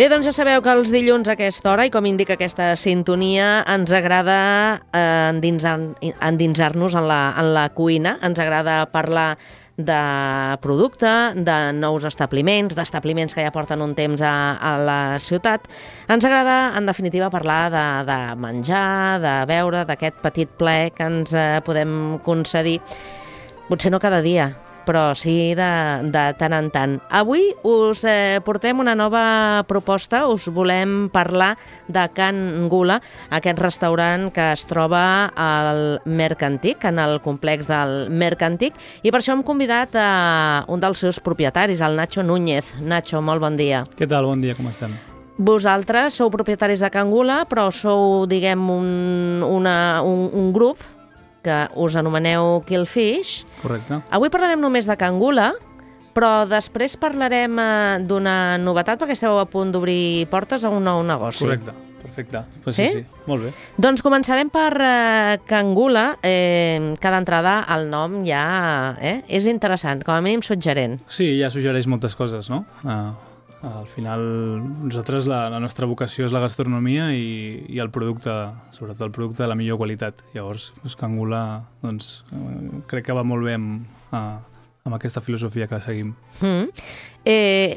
Bé, doncs ja sabeu que els dilluns a aquesta hora, i com indica aquesta sintonia, ens agrada endinsar-nos en la cuina, ens agrada parlar de producte, de nous establiments, d'establiments que ja porten un temps a la ciutat. Ens agrada, en definitiva, parlar de menjar, de beure, d'aquest petit ple que ens podem concedir. Potser no cada dia, però sí de tant en tant. Avui us portem una nova proposta, us volem parlar de Can Gula, aquest restaurant que es troba al Mercantic, en el complex del Mercantic, i per això hem convidat a un dels seus propietaris, el Nacho Núñez. Nacho, molt bon dia. Què tal? Bon dia, com estem? Vosaltres sou propietaris de Can Gula, però sou, diguem, un grup que us anomeneu Killfish. Correcte. Avui parlarem només de Can Gula, però després parlarem d'una novetat, perquè esteu a punt d'obrir portes a un nou negoci. Correcte, perfecte. Pues sí? Sí, molt bé. Doncs començarem per Can Gula, que d'entrada el nom ja és interessant, com a mínim suggerent. Sí, ja suggereix moltes coses, no? Al final, nosaltres, la nostra vocació és la gastronomia i el producte, sobretot el producte de la millor qualitat. Llavors, Can Gula, doncs, crec que va molt bé amb aquesta filosofia que seguim.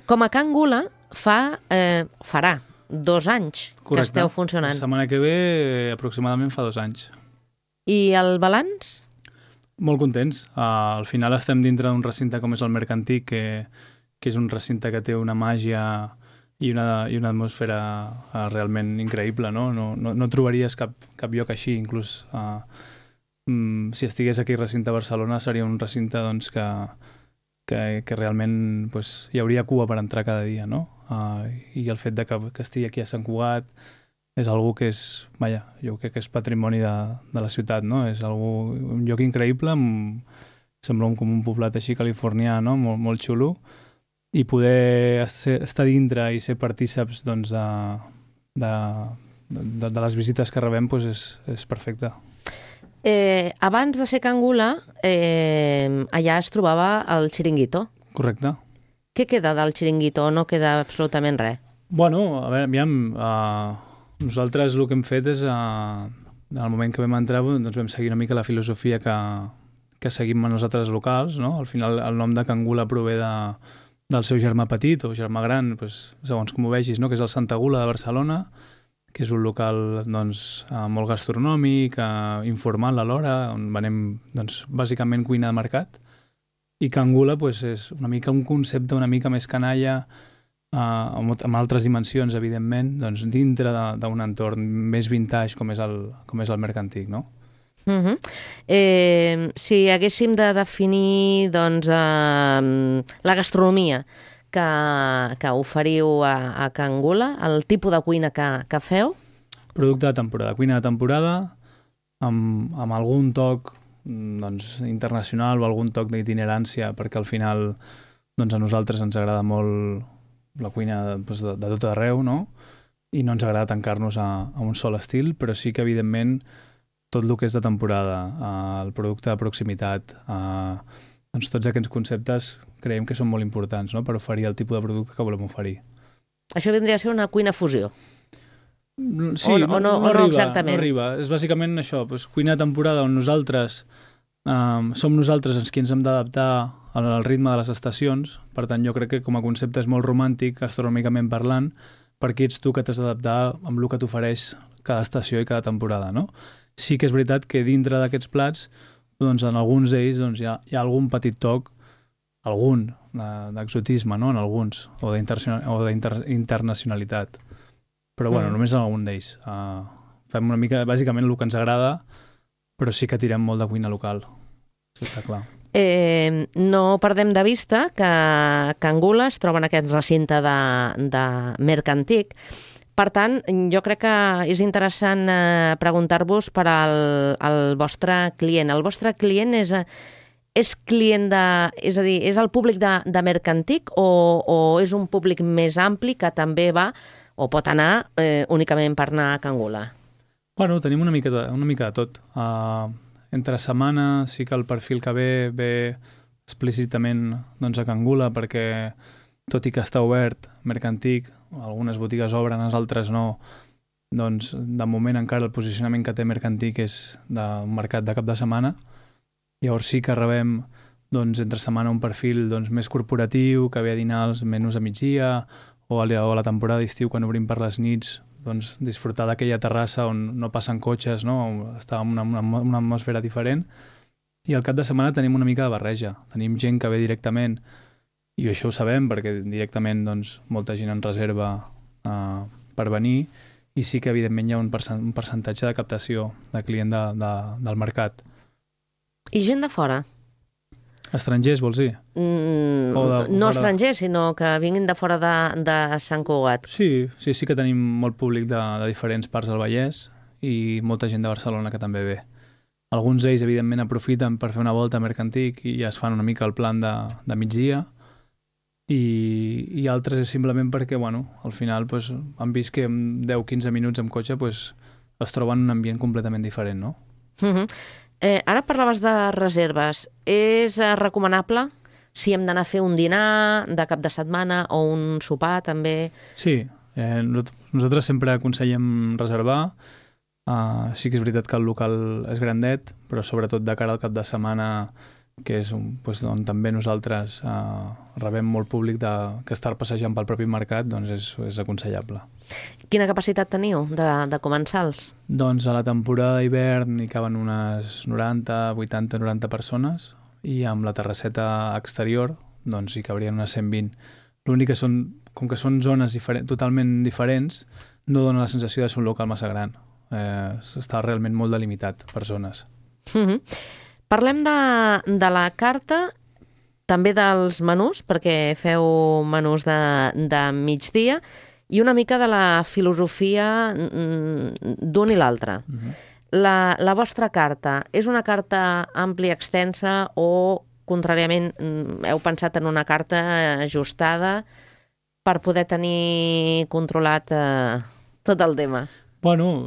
Com a Can Gula farà 2 anys. Correcte. Que esteu funcionant. La setmana que ve, aproximadament fa 2 anys. I el balanç? Molt contents. Al final estem dintre d'un recinte com és el Mercantic, que és un recinte que té una màgia i una atmosfera realment increïble, no? No trobaries cap lloc així, inclús si estigués aquí al recinte de Barcelona seria un recinte doncs, que realment pues, hi hauria cua per entrar cada dia, no? I el fet de que estigui aquí a Sant Cugat és algo que és, jo crec que és patrimoni de la ciutat, no? És un lloc increïble, sembla com un poblat així californià, no? Molt xulo. I poder estar dintre i ser partíceps doncs, de les visites que rebem doncs és perfecte. Abans de ser Can Gula, allà es trobava el Chiringuito. Correcte. Què queda del Chiringuito? No queda absolutament res. Bueno, a veure, aviam, nosaltres el que hem fet és, en el moment que vam entrar, doncs vam seguir una mica la filosofia que seguim a nosaltres locals, no? Al final el nom de Can Gula prové del seu germà petit o germà gran, doncs, segons com ho vegis, no? Que és el Santa Gula de Barcelona, que és un local doncs, molt gastronòmic, informal alhora, on venem doncs, bàsicament cuina de mercat. I Can Gula doncs, és una mica un concepte una mica més canalla, amb altres dimensions, evidentment, doncs, dintre d'un entorn més vintage com és el Mercantic, no? Si haguéssim de definir doncs, la gastronomia que oferiu a Can Gula, el tipus de cuina que feu? Producte de temporada, cuina de temporada, amb algun toc doncs, internacional o algun toc d'itinerància, perquè al final doncs, a nosaltres ens agrada molt la cuina doncs, de tot arreu, no? I no ens agrada tancar-nos a un sol estil, però sí que evidentment tot el que és de temporada, el producte de proximitat, doncs tots aquests conceptes creiem que són molt importants, no?, per oferir el tipus de producte que volem oferir. Això vindria a ser una cuina fusió? Sí, no exactament. No arriba. És bàsicament això, doncs, cuina de temporada on nosaltres som nosaltres els qui ens hem d'adaptar al ritme de les estacions, per tant jo crec que com a concepte és molt romàntic, gastronòmicament parlant, perquè ets tu que t'has d'adaptar amb el que t'ofereix cada estació i cada temporada, no? Sí que és veritat que dintre d'aquests plats, doncs, en alguns d'ells doncs, hi ha algun petit toc, d'exotisme, no? En alguns, o d'internacionalitat. Però bueno, només en algun d'ells. Fem una mica, bàsicament, el que ens agrada, però sí que tirem molt de cuina local. Això està clar. No perdem de vista que Can Gula es troba en aquest recinte de Mercantic. Per tant, jo crec que és interessant preguntar-vos per al vostre client. El vostre client és client és a dir, és el públic de Mercantic o és un públic més ampli que també va o pot anar únicament per anar a Can Gula? Bueno, tenim una mica de tot. Entre setmana sí que el perfil que ve explícitament doncs, a Can Gula perquè tot i que està obert Mercantic, algunes botigues obren, les altres no, doncs de moment encara el posicionament que té Mercantic és d'un mercat de cap de setmana. Llavors sí que rebem doncs, entre setmana un perfil doncs, més corporatiu, que ve a dinar els menús a migdia, o a la temporada d'estiu, quan obrim per les nits, doncs, disfrutar d'aquella terrassa on no passen cotxes, no? Està en una atmosfera diferent. I al cap de setmana tenim una mica de barreja. Tenim gent que ve directament, i això ho sabem perquè directament doncs, molta gent en reserva per venir, i sí que evidentment hi ha un percentatge de captació de client del mercat. I gent de fora? Estrangers, vols dir? No estrangers, sinó que vinguin de fora de Sant Cugat. Sí que tenim molt públic de diferents parts del Vallès i molta gent de Barcelona que també ve. Alguns d'ells, evidentment, aprofiten per fer una volta a Mercantic i ja es fan una mica el plan de migdia, i altres és simplement perquè, bueno, al final pues, han vist que en 10-15 minuts amb cotxe pues, es troben en un ambient completament diferent, no? Ara parlaves de reserves. És recomanable si hem d'anar a fer un dinar de cap de setmana o un sopar, també? Sí, nosaltres sempre aconsellem reservar. Sí que és veritat que el local és grandet, però sobretot de cara al cap de setmana, que és on també nosaltres rebem molt públic que estar passejant pel propi mercat, doncs és aconsellable. Quina capacitat teniu de comensals? Doncs a la temporada d'hivern hi caben unes 80-90 persones, i amb la terrasseta exterior doncs hi cabrien unes 120. L'únic que com que són zones totalment diferents, no dona la sensació de ser un local massa gran. Està realment molt delimitat per zones. Parlem de la carta, també dels menús, perquè feu menús de migdia, i una mica de la filosofia d'un i l'altre. La vostra carta és una carta àmplia, extensa, o, contràriament, heu pensat en una carta ajustada per poder tenir controlat tot el tema? Bueno,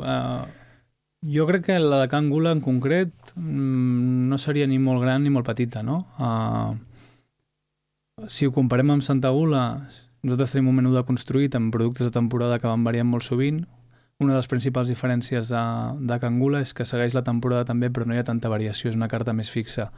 jo crec que la de Can Gula en concret no seria ni molt gran ni molt petita, no? Si ho comparem amb Santa Gula, nosaltres tenim un menú deconstruït amb productes de temporada que van variant molt sovint. Una de les principals diferències de Can Gula és que segueix la temporada també, però no hi ha tanta variació, és una carta més fixa.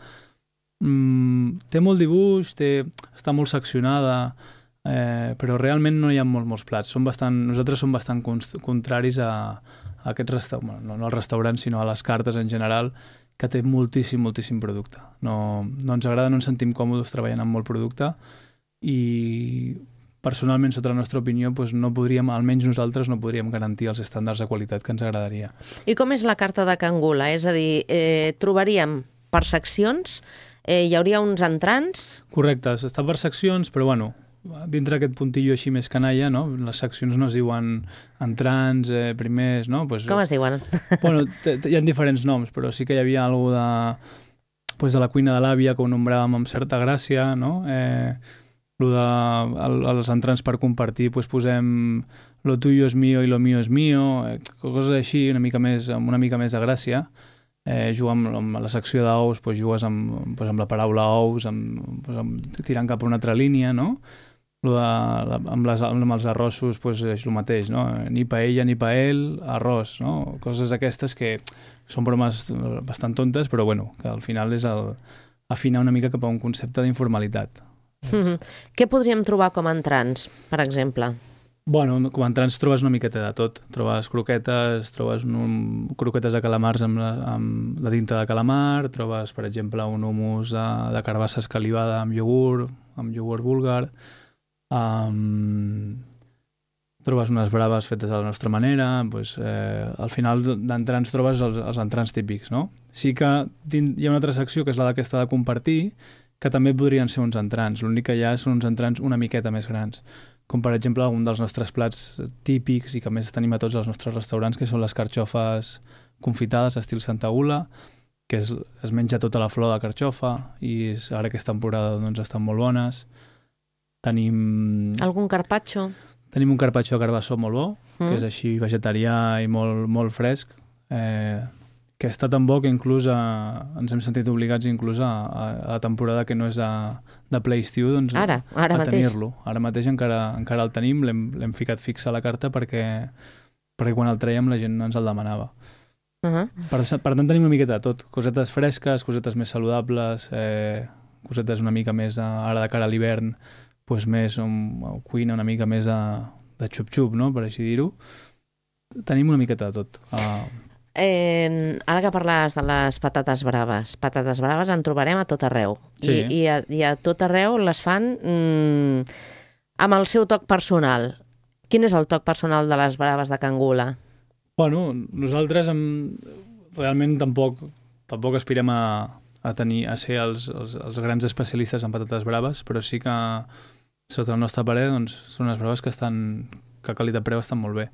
Té molt dibuix, està molt seccionada, però realment no hi ha molts plats. Nosaltres som bastant contraris a aquests restaurants, no als restaurants, sinó a les cartes en general, que té moltíssim producte. No ens agrada, no ens sentim còmodes treballant amb molt producte, i personalment, sota la nostra opinió, doncs no podríem, almenys nosaltres, no podríem garantir els estàndards de qualitat que ens agradaria. I com és la carta de Can Gula? És a dir, trobaríem per seccions, hi hauria uns entrants? Correcte, està per seccions, però bueno, dintre aquest puntillo així més canalla, no? Les seccions no es diuen entrants, primers, no? Com es diuen? Bueno, hi ha diferents noms, però sí que hi havia alguna de la cuina de l'àvia que ho nombràvem amb certa gràcia, no? Els entrants per compartir, posem lo tuyo es mío i lo mío es mío, coses així, amb una mica més de gràcia. Jugar amb la secció d'ous, jugues amb la paraula ous, tirant cap a una altra línia, no? Amb els arrossos és el mateix, no? Ni paella ni paell, arròs, no? Coses aquestes que són bromes bastant tontes, però bueno, que al final és afinar una mica cap a un concepte d'informalitat. Què podríem trobar com a entrants, per exemple? Bueno, com a entrants trobes una miqueta de tot. Trobes croquetes, croquetes de calamars amb la tinta de calamar, trobes, per exemple, un hummus de carbassa escalivada amb iogurt búlgar, trobes unes braves fetes de la nostra manera, al final d'entrants trobes els entrants típics, no? Sí que hi ha una altra secció, que és la d'aquesta de compartir, que també podrien ser uns entrants. L'únic que hi ha són uns entrants una miqueta més grans, com per exemple un dels nostres plats típics i que més tenim a tots els nostres restaurants, que són les carxofes confitades estil Santa Gula, que es menja tota la flor de carxofa, i ara aquesta temporada doncs, estan molt bones. Tenim... Algun carpaccio? Tenim un carpaccio de carbassó molt bo, que és així vegetarià i molt fresc, està tan bo que inclús ens hem sentit obligats inclús a la temporada que no és de Play Stew, doncs Ara a mateix. tenir-lo. Ara mateix encara el tenim, l'hem ficat fix a la carta perquè quan el traiem la gent ens el demanava. Per tant tenim una miqueta de tot, cosetes fresques, cosetes més saludables, cosetes una mica més ara de cara a l'hivern, doncs més cuina una mica més de xup-xup, no? Per així dir-ho. Tenim una miqueta de tot. Ara que parlaves de les patates braves en trobarem a tot arreu. Sí. I a tot arreu les fan amb el seu toc personal. Quin és el toc personal de les braves de Can Gula? Bueno, nosaltres realment tampoc aspirem a ser els grans especialistes en patates braves, però sí que, sota el nostre parer, doncs, són unes braves que a qualitat-preu estan molt bé.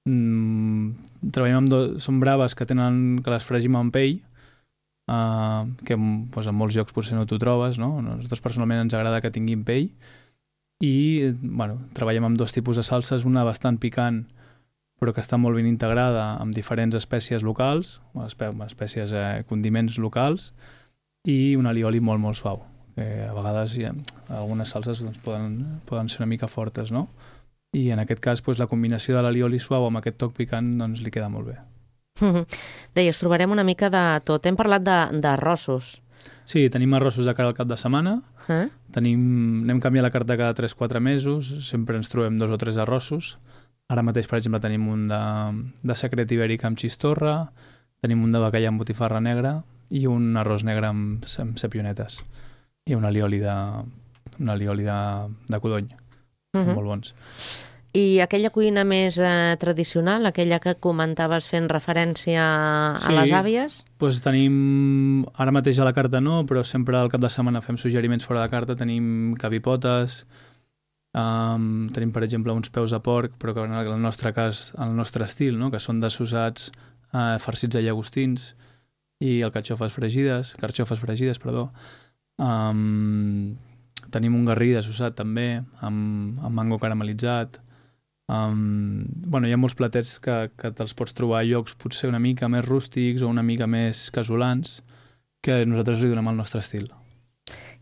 Treballem són braves que les fregim amb pell, que doncs, en molts llocs potser no t'ho trobes, no? A nosaltres personalment ens agrada que tinguin pell, i treballem amb 2 tipus de salses, una bastant picant però que està molt ben integrada amb diferents espècies locals, espècies condiments locals, i un alioli molt, molt suau. A vegades algunes salses doncs, poden ser una mica fortes, no? I en aquest cas la combinació de l'alioli suau amb aquest toc picant doncs, li queda molt bé. Deies, trobarem una mica de tot. Hem parlat d'arrossos. Sí, tenim arrossos de cara al cap de setmana. Anem canviant la carta cada 3-4 mesos, sempre ens trobem 2 o 3 arrossos. Ara mateix, per exemple, tenim un de secret ibèric amb xistorra, tenim un de bacallà amb botifarra negra i un arròs negre amb sapionetes i un alioli de codony. Estan molt bons. I aquella cuina més tradicional, aquella que comentaves fent referència a les àvies? Doncs tenim, ara mateix a la carta no, però sempre al cap de setmana fem suggeriments fora de carta. Tenim cavipotes, tenim, per exemple, uns peus de porc, però que en el nostre cas, en el nostre estil, no? Que són dessussats, farcits de llagostins, i el carxofes fregides. Tenim un garrí dessussat també, amb mango caramelitzat. Hi ha molts platets que te'ls pots trobar a llocs potser una mica més rústics o una mica més casolans, que nosaltres li donem el nostre estil.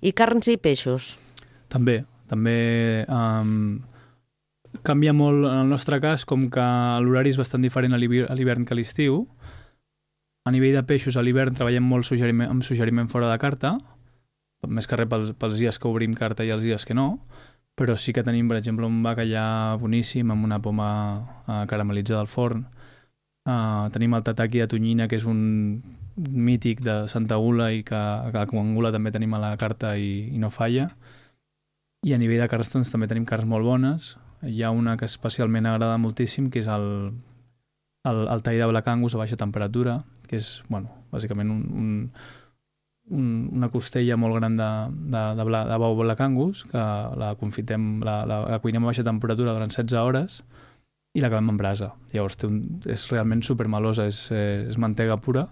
I carns i peixos? També canvia molt en el nostre cas, com que l'horari és bastant diferent a l'hivern que a l'estiu. A nivell de peixos, a l'hivern treballem molt amb suggeriment fora de carta, més que res pels dies que obrim carta i els dies que no, però sí que tenim, per exemple, un bacallà boníssim amb una poma caramelitzada al forn. Tenim el tataki de tonyina, que és un mític de Santa Gula i que a Can Gula també tenim a la carta i no falla. I a nivell de carns doncs, també tenim carns molt bones. Hi ha una que especialment agrada moltíssim, que és el tall de Black Angus a baixa temperatura, que és, bàsicament una costella molt gran de bou Black Angus, que la confitem, la cuinem a baixa temperatura durant 16 hores i l'acabem en brasa. Llavors és realment supermelosa, és mantega pura,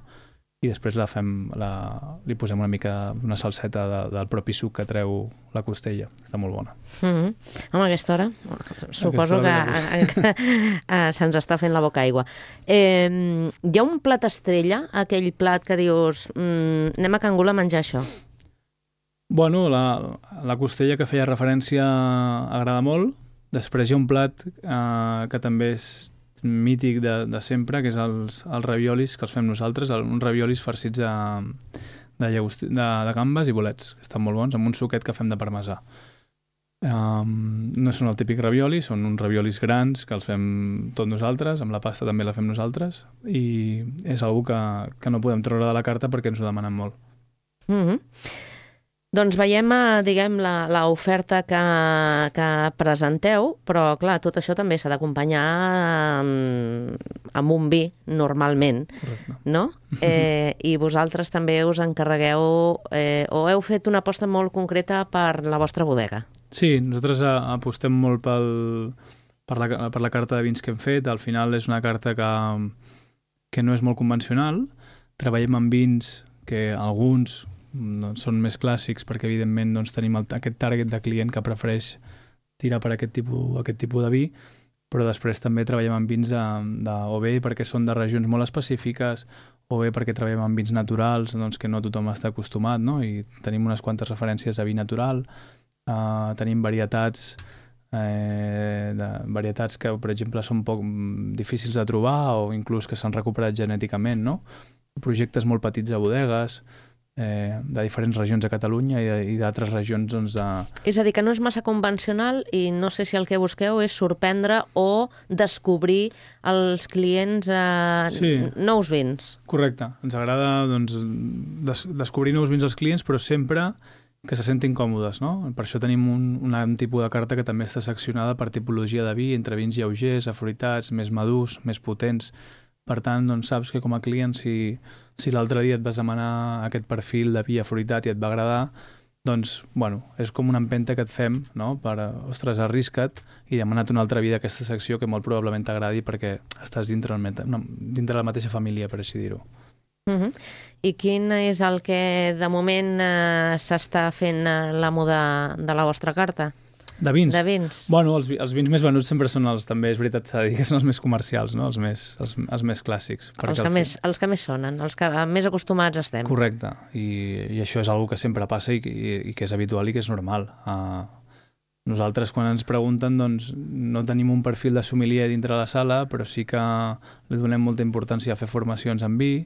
i després li posem una mica d'una salseta del propi suc que treu la costella. Està molt bona. Home, a aquesta hora suposo que se'ns està fent la boca aigua. Hi ha un plat estrella, aquell plat que dius anem a Can Gula a menjar això? Bueno, la costella que feia referència agrada molt. Després hi ha un plat que també és mític de sempre, que és els raviolis que els fem nosaltres, uns raviolis farcits de gambes i bolets, que estan molt bons, amb un suquet que fem de parmesà. No són el típic ravioli, són uns raviolis grans que els fem tots nosaltres, amb la pasta també la fem nosaltres, i és una que no podem treure de la carta perquè ens ho demanen molt. Doncs veiem, diguem, l'oferta que presenteu, però, clar, tot això també s'ha d'acompanyar amb un vi, normalment, no? I vosaltres també us encarregueu, o heu fet una aposta molt concreta per la vostra bodega? Sí, nosaltres apostem molt per la carta de vins que hem fet. Al final és una carta que no és molt convencional. Treballem amb vins que alguns són més clàssics perquè evidentment tenim aquest target de client que prefereix tirar per aquest tipus de vi, però després també treballem amb vins o bé perquè són de regions molt específiques o bé perquè treballem amb vins naturals, doncs, que no tothom està acostumat, no? I tenim unes quantes referències a vi natural, tenim varietats que, per exemple, són poc difícils de trobar o inclús que s'han recuperat genèticament, no? Projectes molt petits de bodegues, de diferents regions de Catalunya i d'altres regions, doncs, És a dir, que no és massa convencional i no sé si el que busqueu és sorprendre o descobrir als clients nous vins. Correcte. Ens agrada, doncs, descobrir nous vins als clients, però sempre que se sentin còmodes, no? Per això tenim un tipus de carta que també està seccionada per tipologia de vi, entre vins lleugers, afruitats, més madurs, més potents. Per tant, doncs, saps que com a client, si l'altre dia et vas demanar aquest perfil de vi afruitat i et va agradar, doncs, bueno, és com una empenta que et fem, no? Per, ostres, arrisca't i demana't una altra vi d'aquesta secció que molt probablement t'agradi perquè estàs dintre la mateixa família, per així dir-ho. I quin és el que de moment s'està fent l'amo de la vostra carta? De vins? De vins. Bueno, els vins més venuts sempre són també, és veritat, s'ha de dir que són els més comercials, no? Els més clàssics. Els que més sonen, els que més acostumats estem. Correcte, i això és una que sempre passa i que és habitual i que és normal. Nosaltres, quan ens pregunten, doncs, no tenim un perfil de sommelier dintre la sala, però sí que li donem molta importància a fer formacions en vi,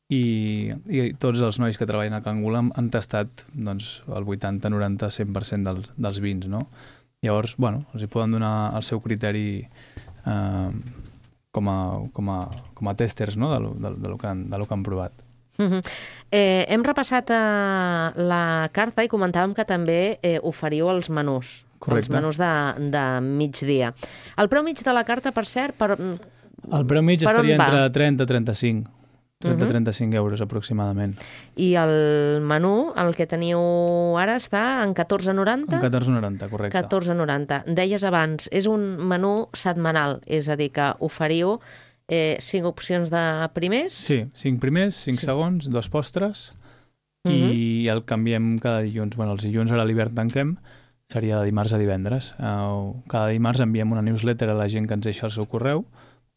i tots els nois que treballen a Can Gula han tastat, doncs, el 80, 90, 100% dels vins, no? Llavors, bueno, els hi poden donar el seu criteri com a testers, no? de lo que han provat. Hem repassat la carta i comentàvem que també oferiu els menús. Correcte. Els menús de migdia. El preu mig de la carta, per cert, el preu mig estaria entre 30 i 35. 30-35 euros aproximadament. I el menú, el que teniu ara, està en 14,90? En 14,90, correcte. 14,90. Deies abans, és un menú setmanal, és a dir, que oferiu 5 opcions de primers? Sí, 5 primers, 5 segons, 2 postres, i el canviem cada dilluns. Bueno, els dilluns ara a l'hivern tanquem, seria de dimarts a divendres. Cada dimarts enviem una newsletter a la gent que ens deixa el seu correu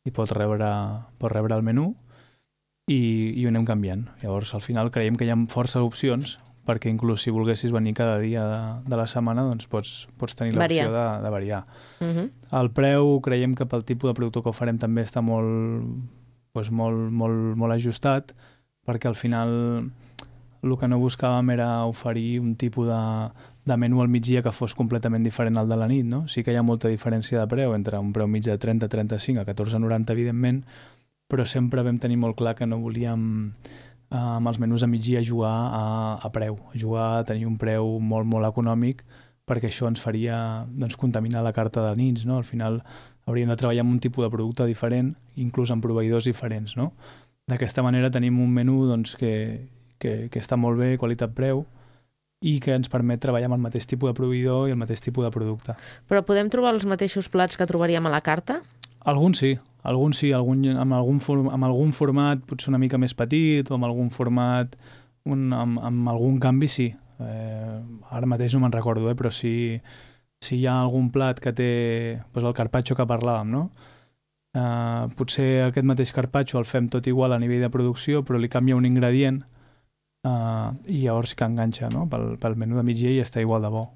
i pot rebre el menú, i ho anem canviant. Llavors, al final, creiem que hi ha força opcions, perquè inclús si volguessis venir cada dia de la setmana, doncs pots tenir l'opció de variar. El preu, creiem que pel tipus de producte que ho farem també està molt ajustat, perquè al final el que no buscàvem era oferir un tipus de menú al migdia que fos completament diferent al de la nit, no? Sí que hi ha molta diferència de preu entre un preu mig de 30-35 a 14,90, evidentment, però sempre vam tenir molt clar que no volíem amb els menús a migdia jugar a preu, jugar a tenir un preu molt, molt econòmic, perquè això ens faria, doncs, contaminar la carta de nits, no? Al final hauríem de treballar amb un tipus de producte diferent, inclús amb proveïdors diferents, no? D'aquesta manera tenim un menú, doncs, que està molt bé, qualitat-preu, i que ens permet treballar amb el mateix tipus de proveïdor i el mateix tipus de producte. Però podem trobar els mateixos plats que trobaríem a la carta? Alguns sí, amb algun format potser una mica més petit o amb algun format, amb algun canvi sí. Ara mateix no me'n recordo, però si hi ha algun plat que té doncs el carpaccio que parlàvem, no? Potser aquest mateix carpaccio el fem tot igual a nivell de producció, però li canvia un ingredient i llavors sí que enganxa, no? Pel menú de migdia i està igual de bo.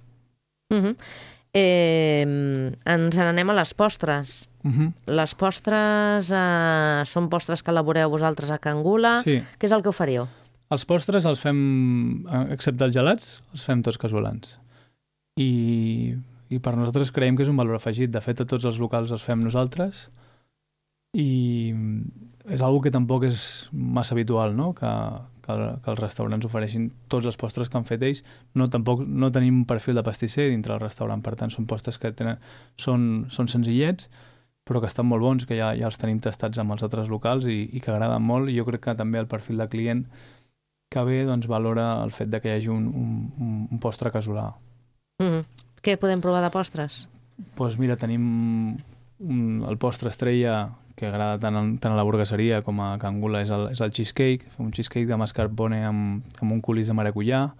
Ens n'anem a les postres. Les postres són postres que elaboreu vosaltres a Can Gula. Sí. Què és el que oferiu? Els postres els fem, excepte els gelats, els fem tots casolans. I per nosaltres creiem que és un valor afegit. De fet, a tots els locals els fem nosaltres i és una que tampoc és massa habitual, no? Que els restaurants ofereixin tots els postres que han fet ells. Tampoc no tenim un perfil de pastisser dintre del restaurant, per tant són postres que són senzillets, però que estan molt bons, que ja els tenim tastats amb els altres locals i que agraden molt, i jo crec que també el perfil de client que ve doncs, valora el fet de que hi hagi un postre casolà. Què podem provar de postres? Doncs mira, tenim el postre estrella que agrada tant a la burgueseria com a Can Gula, és el cheesecake, un cheesecake de mascarpone amb un coulis de maracuyà.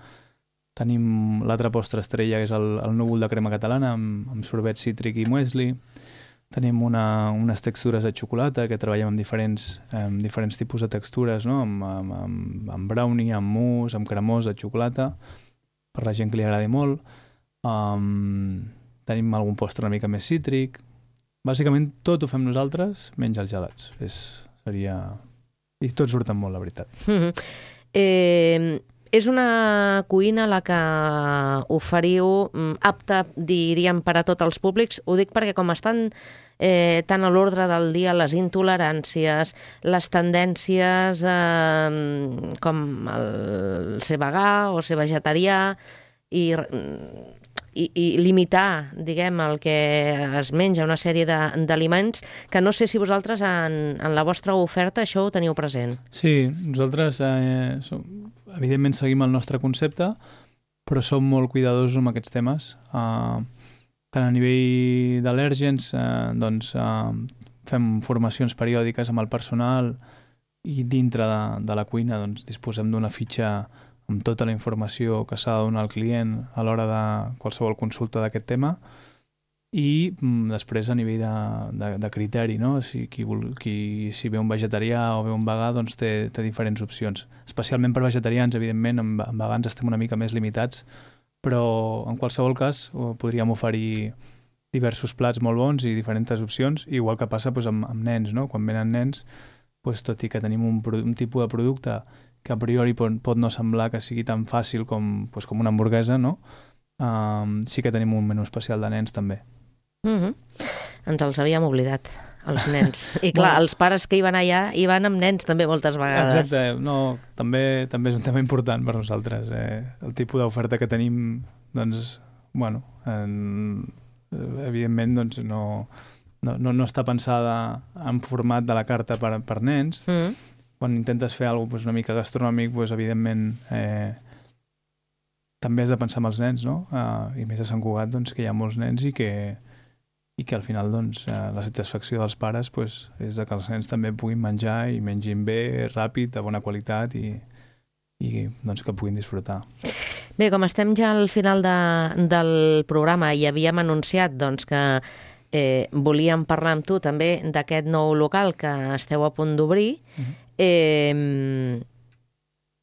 Tenim l'altre postre estrella, que és el núvol de crema catalana amb sorbet cítric i muesli. Tenim unes textures de xocolata que treballem amb diferents tipus de textures, no? Amb brownie, amb mousse, amb cremós de xocolata, per la gent que li agradi molt. Tenim algun postre una mica més cítric. Bàsicament tot ho fem nosaltres, menys els gelats. I tots surten molt, la veritat. És una cuina a la que oferiu apta, diríem, per a tots els públics. Ho dic perquè com estan tant a l'ordre del dia les intoleràncies, les tendències com el ser vegà o ser vegetarià i limitar, diguem, el que es menja, una sèrie d'aliments, que no sé si vosaltres en la vostra oferta això ho teniu present. Sí, nosaltres evidentment seguim el nostre concepte, però som molt cuidadosos amb aquests temes. Tant a nivell d'al·lèrgens, fem formacions periòdiques amb el personal i dintre de la cuina disposem d'una fitxa amb tota la informació que s'ha de donar al client a l'hora de qualsevol consulta d'aquest tema i després a nivell de criteri, no? Si ve un vegetarià o ve un vegà, doncs té diferents opcions. Especialment per vegetarians, evidentment, amb vegans estem una mica més limitats, però en qualsevol cas podríem oferir diversos plats molt bons i diferents opcions, igual que passa amb nens, no? Quan venen nens, tot i que tenim un tipus de producte que a priori pot no semblar que sigui tan fàcil com una hamburguesa, no? Sí que tenim un menú especial de nens també. Ens els havíem oblidat, els nens. I clar, els pares que hi van allà hi van amb nens també moltes vegades. Exacte, no, també és un tema important per nosaltres. El tipus d'oferta que tenim, evidentment no està pensada en format de la carta per nens. Quan intentes fer alguna cosa una mica gastronòmic, evidentment també has de pensar en els nens, no? I més a Sant Cugat, que hi ha molts nens i que al final la satisfacció dels pares és que els nens també puguin menjar i mengin bé, ràpid, de bona qualitat i que puguin disfrutar. Bé, com estem ja al final del programa i havíem anunciat que volíem parlar amb tu també d'aquest nou local que esteu a punt d'obrir,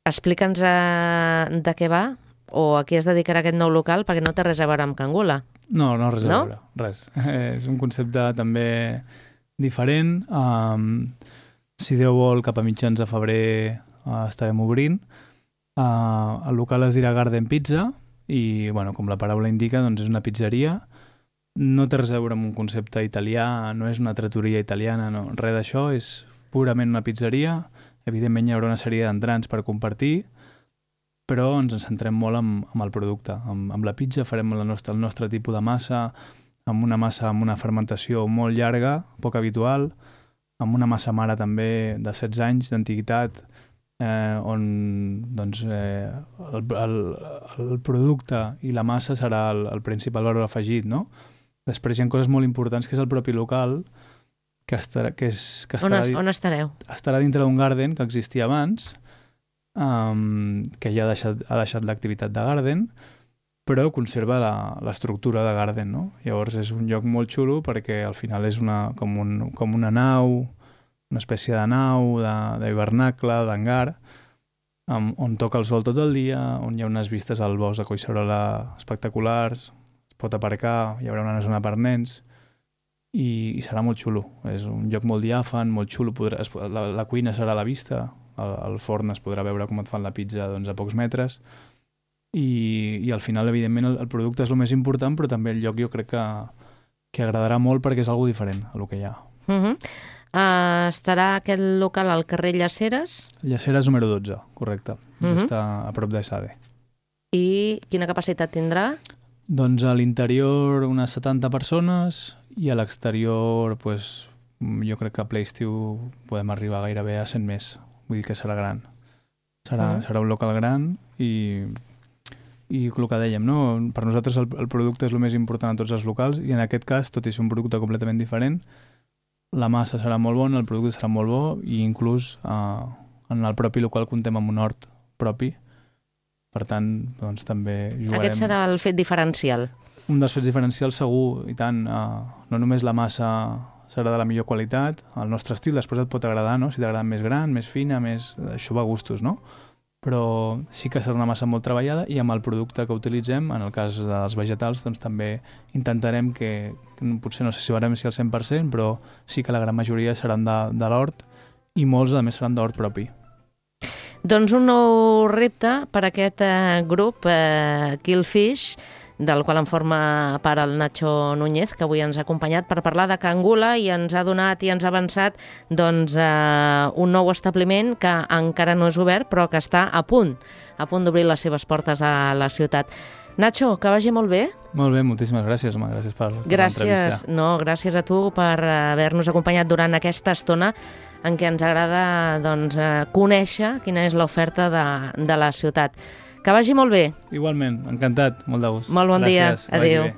explica'ns de què va o a què es dedicarà aquest nou local, perquè no té res a veure amb Cangula. No, res a veure, res. És un concepte també diferent. Si Déu vol, cap a mitjans de febrer estarem obrint. El local es dirà Garden Pizza i, com la paraula indica, és una pizzeria. No té res a veure amb un concepte italià, no és una trattoria italiana, no. Res d'això, és purament una pizzeria. Evidentment hi haurà una sèrie d'entrants per compartir, però ens centrem molt amb el producte. Amb la pizza farem el nostre tipus de massa, amb una fermentació molt llarga, poc habitual, amb una massa mare també de 16 anys d'antiguitat, on el producte i la massa serà el principal valor afegit, no? Després hi ha coses molt importants, que és el propi local, on estareu? Estarà dintre d'un garden que existia abans, que ja ha deixat l'activitat de garden, però conserva l'estructura de garden, no? Llavors és un lloc molt xulo perquè al final és com una nau, una espècie de nau, d'hivernacle, d'hangar, on toca el sol tot el dia, on hi ha unes vistes al bosc de Collserola espectaculars, es pot aparcar, hi haurà una zona per nens, i serà molt xulo. És un lloc molt diàfan, molt xulo. La cuina serà a la vista, al forn es podrà veure com et fan la pizza a pocs metres, i al final, evidentment, el producte és el més important, però també el lloc jo crec que agradarà molt perquè és algo diferent a lo que hi ha. Estarà aquest local al carrer Llaceres? Llaceres número 12, correcte. Just a prop d'Esade. I quina capacitat tindrà? Doncs a l'interior unes 70 persones i a l'exterior jo crec que a ple estiu podem arribar gairebé a 100 més. Vull dir que serà gran. Serà un local gran i el que dèiem, no? Per nosaltres el producte és el més important a tots els locals i en aquest cas, tot i ser un producte completament diferent, la massa serà molt bona, el producte serà molt bo i inclús en el propi local comptem amb un hort propi. Per tant, també jugarem... Aquest serà el fet diferencial. un dels fets diferencials segur, i tant, no només la massa serà de la millor qualitat, el nostre estil després et pot agradar, no? Si t'agrada més gran, més fina, això va a gustos, no? Però sí que serà una massa molt treballada i amb el producte que utilitzem, en el cas dels vegetals, doncs també intentarem que potser no sé si veurem si al 100%, però sí que la gran majoria seran de l'hort i molts, a més, seran d'hort propi. Doncs un nou repte per aquest grup, Killfish, del qual en forma part el Nacho Núñez, que avui ens ha acompanyat per parlar de Cangula i ens ha donat i ens ha avançat doncs, un nou establiment que encara no és obert, però que està a punt d'obrir les seves portes a la ciutat. Nacho, que vagi molt bé. Molt bé, moltíssimes gràcies, home. Gràcies per l'entrevista. Gràcies a tu per haver-nos acompanyat durant aquesta estona en què ens agrada doncs, conèixer quina és l'oferta de la ciutat. Que vagi molt bé. Igualment, encantat, molt de gust. Molt bon dia, adéu.